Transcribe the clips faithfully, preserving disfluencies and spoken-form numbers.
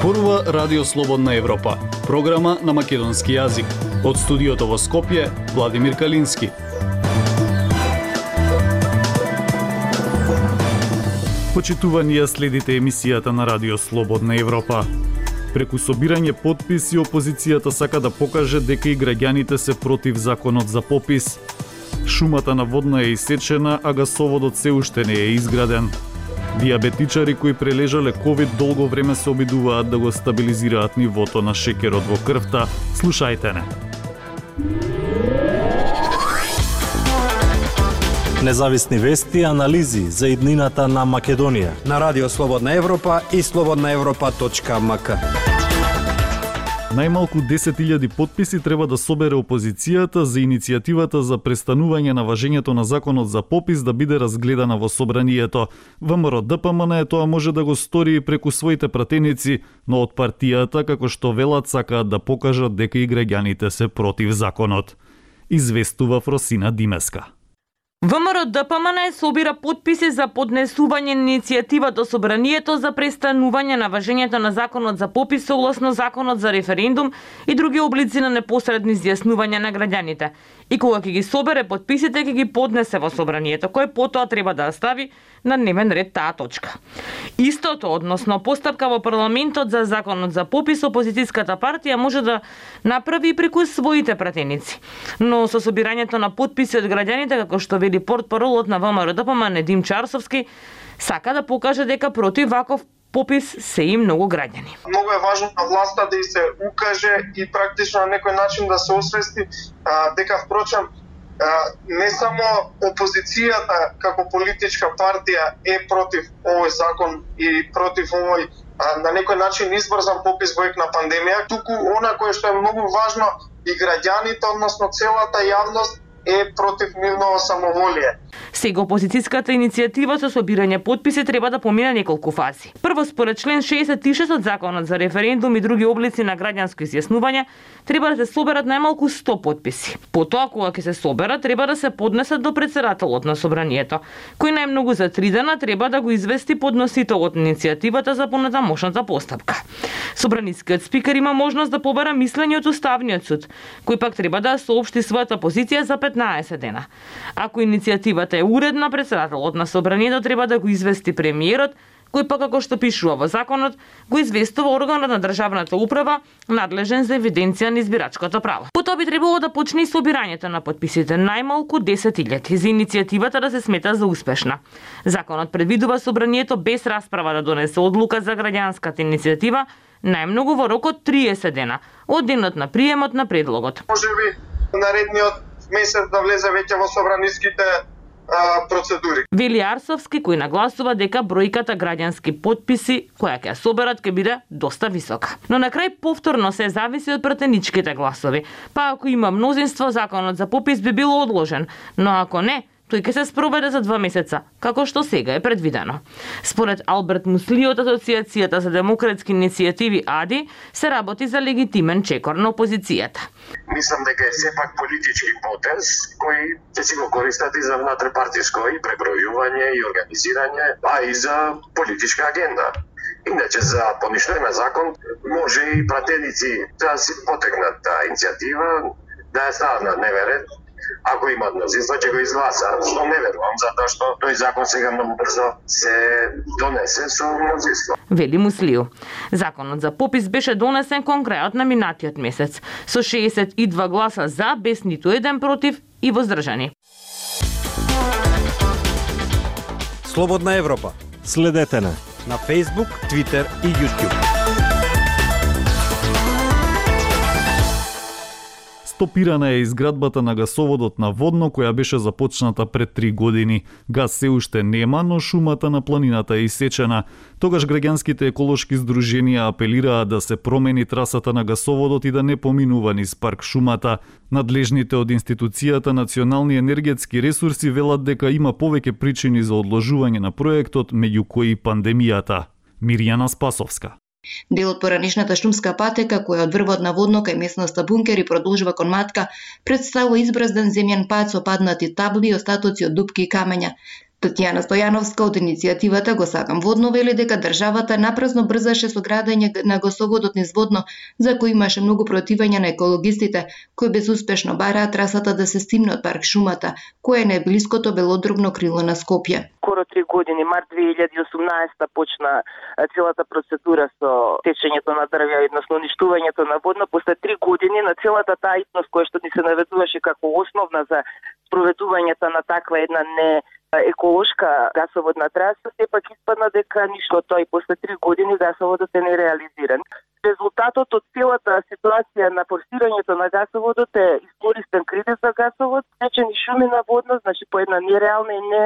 Зборува Радио Слободна Европа, програма на македонски јазик. Од студиото во Скопје, Владимир Калински. Почитувани ја следите емисијата на Радио Слободна Европа. Преку собирање потписи, опозицијата сака да покаже дека и граѓаните се против законот за попис. Шумата на водна е исечена, а гасоводот се уште не е изграден. Диабетичари кои прележале ковид долго време се обидуваат да го стабилизираат нивото на шекерот во крвта. Слушајте не. Независни вести и анализи за иднината на Македонија на Радио Слободна Европа и слободна европа точка ем ка. Најмалку десет илјади потписи треба да собере опозицијата за иницијативата за престанување на важењето на законот за попис да биде разгледана во собранието. ВМРО Д П М Н тоа може да го стори и преку своите пратеници, но од партијата, како што велат, сакаат да покажат дека и граѓаните се против законот. Известува Фросина Димеска. ВМРО Д П М Н собира потписи за поднесување на иницијативата собранието за престанување на важењето на законот за попис согласно законот за референдум и други облици на непосредни изјаснување на граѓаните. И кога ќе ги собере потписите, ќе ги поднесе во собранието, кој потоа треба да стави на дневен ред таа точка. Истото, односно постапка во парламентот за законот за попис, опозицијската партија може да направи и преку своите пратеници. Но со собирањето на потписи од граѓаните, како што вели портпаролот на ВМРО Д П М Н Дим Чарсовски, сака да покаже дека против ваков попис се и многу граѓани. Многу е важно на власта да и се укаже и практично на некој начин да се освести а, дека впрочем а, не само опозицијата како политичка партија е против овој закон и против овој а, на некој начин избрзан попис во ек на пандемија, туку она кое што е многу важно и граѓаните, односно целата јавност е против нивно самоволие. Сега опозицијската иницијатива со собирање потписи треба да помине неколку фази. Прво, според член шеесет и шест од законот за референдум и други облици на граѓанско изјаснување, треба да се соберат најмалку сто потписи. Потоа, кога ќе се соберат, треба да се поднесат до претседателот на собранието, кој најмногу за три дена треба да го извести подносителот на иницијативата за понатамошната постапка. Собранискиот спикер има можност да побара мислење од Уставниот суд, кој пак треба да соопшти својата позиција за петнаесет дена. Ако иницијативата е уредна, претседателот на собранието треба да го извести премиерот, кој пак, како што пишува во законот, го известува органот на државната управа надлежен за евиденција на избирачкото право. Потоа би требало да почне и собирањето на потписите, најмалку десет илјади, за иницијативата да се смета за успешна. Законот предвидува собранието без расправа да донесе одлука за граѓанската иницијатива, најмногу во рок од триесет дена, од денот на приемот на предлогот. Можеби наредниот месец да влезе веќе во собраниските а, процедури. Вели Арсовски, кој нагласува дека бројката граѓански потписи која ќе соберат ќе биде доста висока. Но на крај повторно се зависи од пратеничките гласови. Па ако има мнозинство, законот за попис би бил одложен, но ако не, тој ќе се спроведе за два месеца, како што сега е предвидено. Според Алберт Мусли од Асоцијацијата за демократски иницијативи А Д И, се работи за легитимен чекор на опозицијата. Мислам дека е сепак политички потез кој ќе си го користат и за внатрешпартиско и пребројување и организирање, а и за политичка агенда. Иначе за поништување на закон може и пратеници да си потегнат таа иницијатива, да ја стават на дневен ред. Ако имат мнозинство, ќе го изгласаат, што не верувам, затоа што тој закон сега многу брзо се донесе со мнозинство. Вели Муслио. Законот за попис беше донесен кон крајот на минатиот месец, со шеесет и два гласа за, без ниту еден против и воздржани. Слободна Европа. Следете на на Facebook, Twitter и YouTube. Стопирана е изградбата на гасоводот на Водно, која беше започната пред три години. Газ се уште нема, но шумата на планината е исечена. Тогаш граѓанските еколошки здруженија апелираа да се промени трасата на гасоводот и да не поминува низ парк шумата. Надлежните од институцијата Национални енергетски ресурси велат дека има повеќе причини за одложување на проектот, меѓу кои пандемијата. Мирјана Спасовска. Дел од поранешната шумска патека, која од врвот на Водно кај местноста Бункер и продолжува кон Матка, представува избразден земјан пат со паднати табли и остатоци од дупки и камења. Татјана Стојановска од иницијативата Го сакам водно вели дека државата напразно брзаше со градење на гасоводот низ водно, за кој имаше многу противање на екологистите, кои безуспешно бараат трасата да се стимне од парк шумата, кој е најблиското велодробно крило на Скопје. Скоро три години, март две илјади и осумнаесета почна целата процедура со течењето на дрвја, односно уништувањето на водно. После три години на целата таа итност која што ни се наведуваше како основна за спроведувањето на таква една не еколошка гасоводна траса, сепак испадна дека ништо од тоа и после три години гасоводот е нереализиран. Резултатот од целата ситуација на форсирањето на гасоводот е искористен кредит за гасовод, течени шуми на водно, значи по една нереална и не,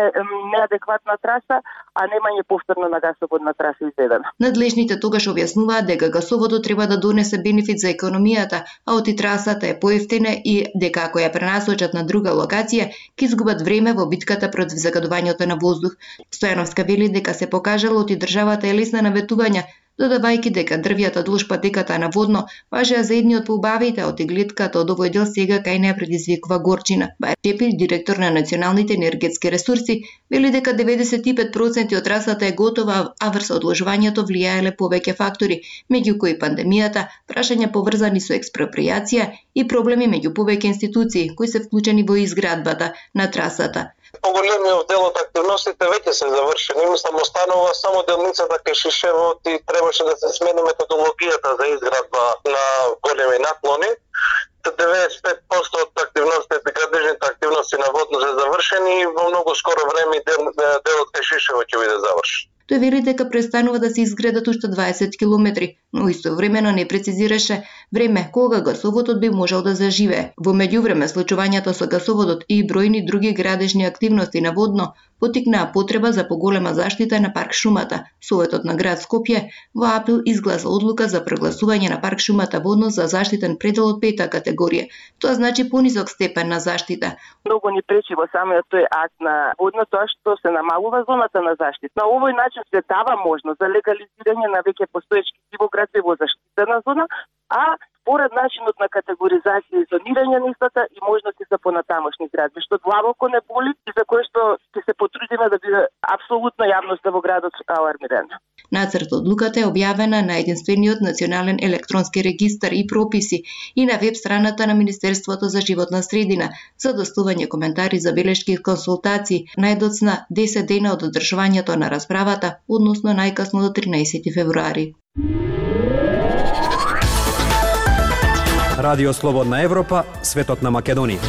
неадекватна траса, а немање повторно на гасоводна траса изведена. Надлежните тогаш објаснуваат дека гасоводот треба да донесе бенефит за економијата, а оти трасата е поевтина и дека ако ја пренасочат на друга локација, ќе изгубат време во битката против загадувањето на воздух. Стојановска вели дека се покажало оти државата е лесна на ветување, додавајќи дека дрвјата дуж патеката на водно важеа за едни од поубавите, а оти гледката од овој дел сега кај неа предизвикува горчина. Бајр Чепир, директор на Националните енергетски ресурси, вели дека деветдесет и пет проценти од трасата е готова, а врз одложувањето влијаеле повеќе фактори, меѓу кои пандемијата, прашања поврзани со експропријација и проблеми меѓу повеќе институции кои се вклучени во изградбата на трасата. Поголемиот дел од активностите веќе се завршени, мислам останува само делницата кај Шишевот и требаше да се смени методологијата за изградба на големи наклони. деветдесет и пет проценти од активностите, градежните активности на водно се завршени и во многу скоро време делот кај Шишевот ќе биде завршен. Тој вели дека престанува да се изградат уште дваесет километри, но истовремено не прецизираше време кога гасоводот би можел да заживее. Во меѓувреме, случувањето со гасоводот и бројни други градежни активности на водно потикнаа потреба за поголема заштита на парк шумата. Советот на град Скопје во април изгласа одлука за прогласување на парк шумата водно за заштитен предел од пета категорија. Тоа значи понизок степен на заштита. Многу ни пречи во самиот тој акт на водно тоа што се намалува зоната на заштита. На овој начин се дава можност за легализирање на веќе постоечки градови во заштитена зона, а според начинот на категоризација и зонирање на истата и можности за понатамошни градби, што длабоко не боли и за кое што ќе се потрудиме да биде апсолутно јавноста во градот алармирана. Нацрт одлуката е објавена на единствениот национален електронски регистар и прописи и на веб страната на Министерството за животна средина за доставување коментари, забелешки и консултации најдоцна десет дена од одржувањето на расправата, односно најкасно до тринаесети февруари. Радио Слободна Европа, светот на Македонија.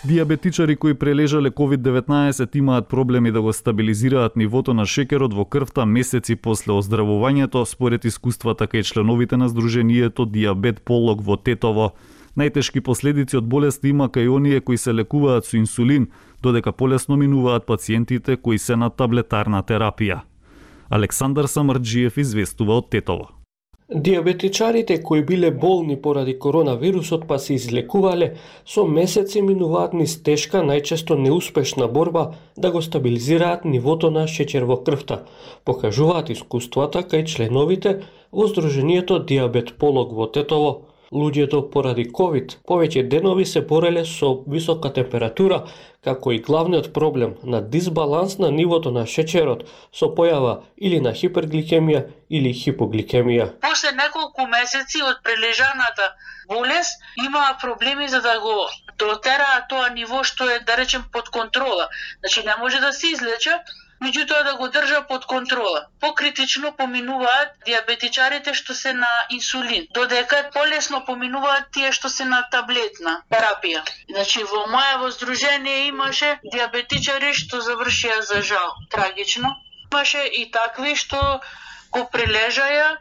Диабетичари кои прележале ковид деветнаесет имаат проблеми да го стабилизираат нивото на шекерот во крвта месеци после оздравувањето, според искуствата кај членовите на Сдруженијето Диабет Полог во Тетово. Најтешки последици од болеста има кај оние кои се лекуваат со инсулин, додека полесно минуваат пациентите кои се на таблетарна терапија. Александар Самарджиев известува од Тетово. Диабетичарите кои биле болни поради коронавирусот па се излекувале, со месеци минуваат низ тешка, најчесто неуспешна борба да го стабилизираат нивото на шеќер во крвта, покажуваат искуствата кај членовите во Сдруженијето Диабет Полог во Тетово. Луѓето поради ковид повеќе денови се бореле со висока температура, како и главниот проблем на дисбаланс на нивото на шеќерот со појава или на хипергликемија или хипогликемија. После неколку месеци од прележаната болест имаа проблеми за да го дотераат тоа ниво што е, да речем, под контрола. Значи не може да се излече, меѓутоа да го држа под контрола. Покритично поминуваат диабетичарите што се на инсулин, додека полесно поминуваат тие што се на таблетна терапија. Значи во мојаво здружение имаше диабетичари што завршија за жал трагично. Имаше и такви што го прележаја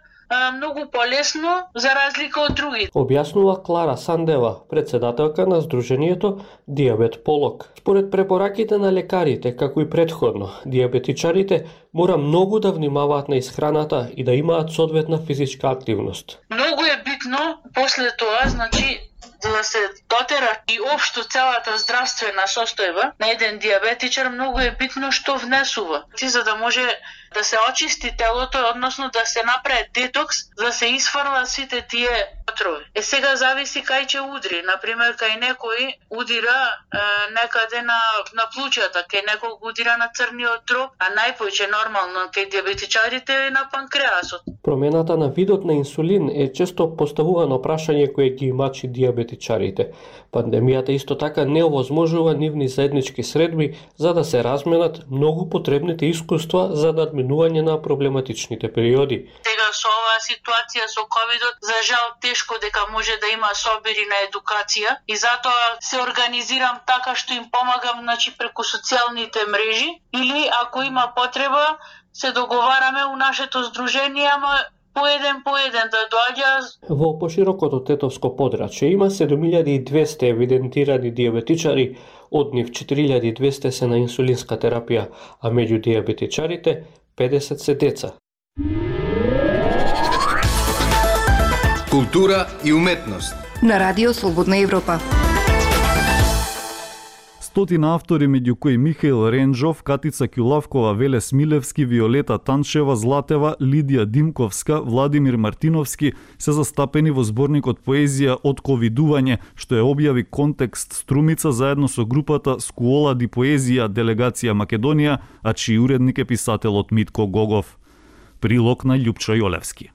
многу полесно за разлика од други. Објаснува Клара Сандева, председателка на Сдруженијето Диабет Полог. Според препораките на лекарите, како и предходно, диабетичарите мора многу да внимаваат на исхраната и да имаат соодветна физичка активност. Многу е битно после тоа, значи да се дотера и општо целата здравствена состојба на еден диабетичар, многу е битно што внесува. Ти за да може да се очисти телото, односно да се направи детокс, да се изфрлат сите тие отрови. Е сега зависи кај ќе удри. Например, кај некој удира е, некаде на на плуќата, кај некој удира на црниот дроб, а најпојче нормално кај диабетичарите е на панкреасот. Промената на видот на инсулин е често поставувано прашање кое ги мачи диабетичарите. Пандемијата исто така не овозможува нивни заеднички средби за да се разменат многу потребните искуства за надминување на проблематичните периоди. Сега со оваа ситуација со ковидот, за жал тешко дека може да има собери на едукација и затоа се организирам така што им помагам, значи преку социјалните мрежи или ако има потреба се договараме у нашето здружение, ама поеден поеден да доаѓа. Во поширокото тетовско подрачје има седум илјади и двесте евидентирани диабетичари, од нив четири илјади и двесте се на инсулинска терапија, а меѓу диабетичарите педесет се деца. Култура и уметност на Радио Слободна Европа. Стотина автори, меѓу кои Михаил Ренџов, Катица Ќулавкова, Веле Смилевски, Виолета Танчева, Златева, Лидија Димковска, Владимир Мартиновски, се застапени во зборникот поезија од ковидување, што е објави Контекст Струмица заедно со групата Скуола ди поезија делегација Македонија, а чиј уредник е писателот Митко Гогов. Прилог на Љупчо Јолевски.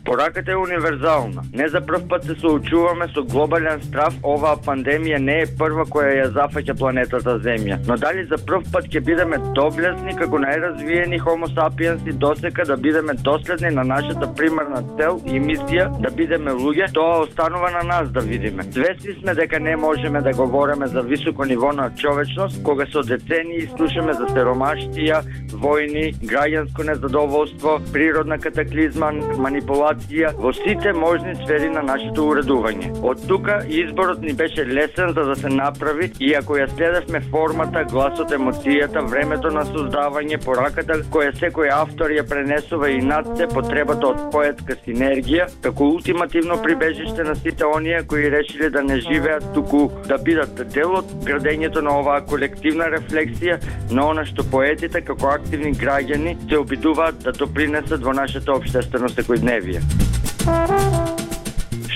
Пораката е универзална. Не за прв пат се соочуваме со глобален страв, оваа пандемија не е прва која ја зафаќа планетата Земја. Но дали за прв пат ќе бидеме доблесни како најразвиени хомо сапиенси досека да бидеме доследни на нашата примарна цел и мисија да бидеме луѓе, тоа останува на нас да видиме. Свесни сме дека не можеме да говориме за високо ниво на човечност кога со децении слушаме за сиромаштија, војни, граѓанско незадоволство, природна катаклизма, манипулација во сите можни сфери на нашето уредување. Од тука изборот ни беше лесен за да се направи и ако ја следевме формата, гласот, емоцијата, времето на создавање, пораката која секој автор ја пренесува и над се потребата од поетска синергија, како ултимативно прибежиште на сите оние кои решиле да не живеат, туку да бидат дел од градењето на оваа колективна рефлексија на она што поетите како активни граѓани се обидуваат да допринесат во нашето општествено секојдневие.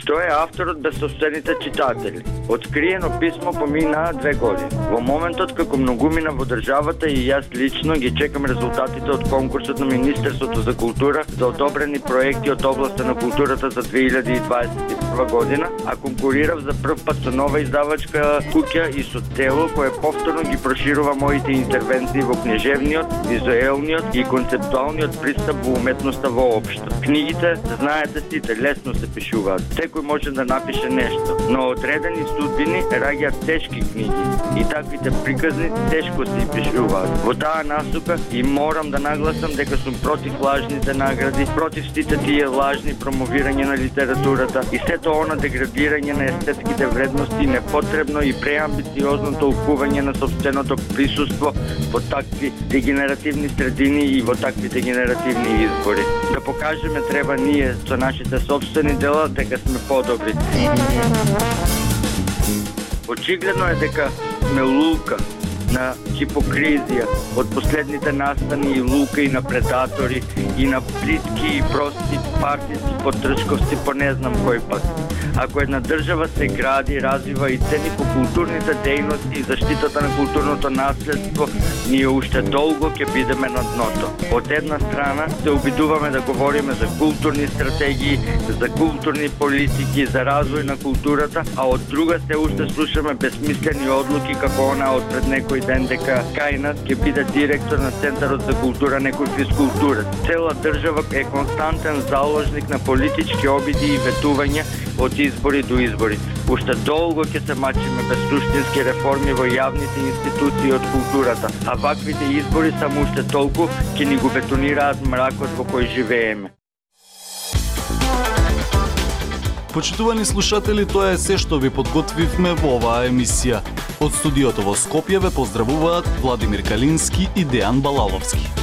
Што е авторот без собствените читатели? Откриено писмо поминаа две години. Во моментот како многумина во државата и јас лично ги чекам резултатите од конкурсот на Министерството за култура за одобрени проекти од областа на културата за две илјади и дваесет и прва година, а конкурирав за прв пат со нова издавачка куќа и со тело кое повторно ги проширува моите интервенции во книжевниот, визуелниот и концептуалниот пристап во уметноста воопшто. Книгите, знаете сите, лесно се пишуваат. Секој може да напише нешто, но одредени судбини раѓаат тешки книги и таквите приказни тешко се пишуваат. Во таа насока и морам да нагласам дека сум против лажните награди, против сите тие лажни промовирање на литературата и сето она деградирање на естетските вредности, непотребно и преамбициозно толкување на собственото присуство во такви дегенеративни средини и во такви дегенеративни избори. Да покажеме треба ние со нашите собствени дела дека сме подобри. Очигледно е дека сме лука на хипокризија од последните настани и лука и на предатори и на плитки и прости партиски потршковци по не знам кој пат. Ако една држава се гради, развива и цени по културните дејности и заштитата на културното наследство, ние уште долго ќе бидеме на дното. Од една страна се обидуваме да говориме за културни стратегии, за културни политики, за развој на културата, а од друга се уште слушаме безсмислени одлуки како она од пред некој ден дека кај нас ќе биде директор на Центарот за култура некој физкултурец. Цела држава е константен заложник на политички обиди и ветувања од избори до избори. Уште долго ќе се мачиме без суштински реформи во јавните институции од културата, а ваквите избори само уште толку ќе ни го бетонираат мракот во кој живееме. Почитувани слушатели, тоа е се што ви подготвивме во оваа емисија. Од студиото во Скопје ве поздравуваат Владимир Калински и Дејан Балаловски.